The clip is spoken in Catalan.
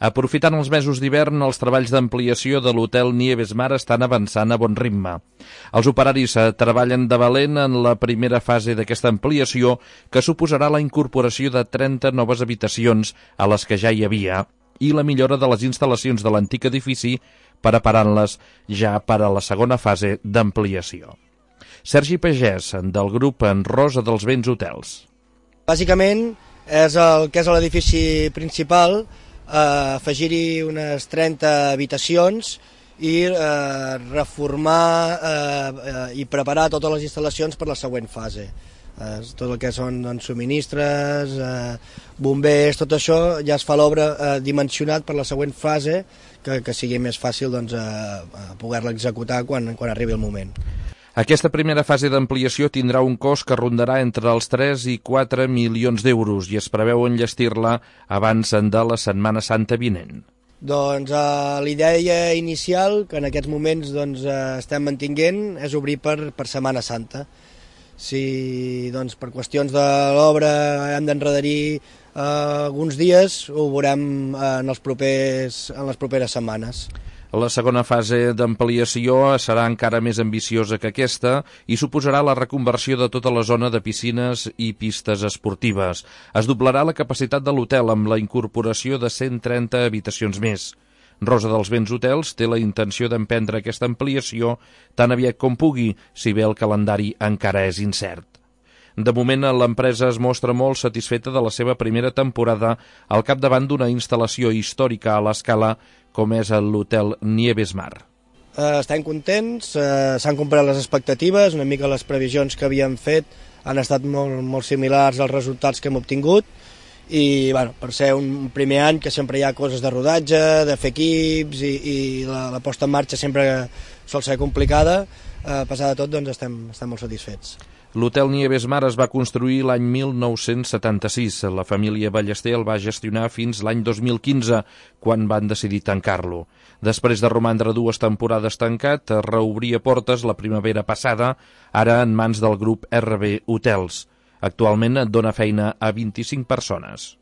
Aprofitant els mesos d'hivern, els treballs d'ampliació de l'hotel Nieves Mar estan avançant a bon ritme. Els operaris treballen de valent en la primera fase d'aquesta ampliació, que suposarà la incorporació de 30 noves habitacions a les que ja hi havia i la millora de les instal·lacions de l'antic edifici, preparant-les ja per a la segona fase d'ampliació. Sergi Pagès, del grup En Rosa dels Vents Hotels. Bàsicament és el que és l'edifici principal, afegir-hi unes 30 habitacions i reformar i preparar totes les instal·lacions per la següent fase. Tot el que són subministres, bombers, tot això ja es fa l'obra dimensionat per la següent fase, que sigui més fàcil poder-la executar quan arribi el moment. Aquesta primera fase d'ampliació tindrà un cost que rondarà entre els 3 i 4 milions d'euros i es preveu enllestir-la abans de la Setmana Santa vinent. Doncs l'idea inicial, que en aquests moments estem mantinguent, és obrir per Setmana Santa. Si per qüestions de l'obra hem d'endarrerir alguns dies, ho veurem en les properes setmanes. La segona fase d'ampliació serà encara més ambiciosa que aquesta i suposarà la reconversió de tota la zona de piscines i pistes esportives. Es doblarà la capacitat de l'hotel amb la incorporació de 130 habitacions més. Rosa dels Vents Hotels té la intenció d'emprendre aquesta ampliació tan aviat com pugui, si bé el calendari encara és incert. De moment, l'empresa es mostra molt satisfeta de la seva primera temporada al capdavant d'una instal·lació històrica a l'escala com és l'hotel Nieves Mar. Estem contents, s'han complert les expectatives, una mica les previsions que havíem fet han estat molt similars als resultats que hem obtingut i per ser un primer any que sempre hi ha coses de rodatge, de fer equips i la posta en marxa sempre sol ser complicada, a pesar de tot estem molt satisfets. L'hotel Nieves Mar es va construir l'any 1976. La família Ballester el va gestionar fins l'any 2015, quan van decidir tancar-lo. Després de romandre 2 temporades tancat, reobria portes la primavera passada, ara en mans del grup RB Hotels. Actualment dona feina a 25 persones.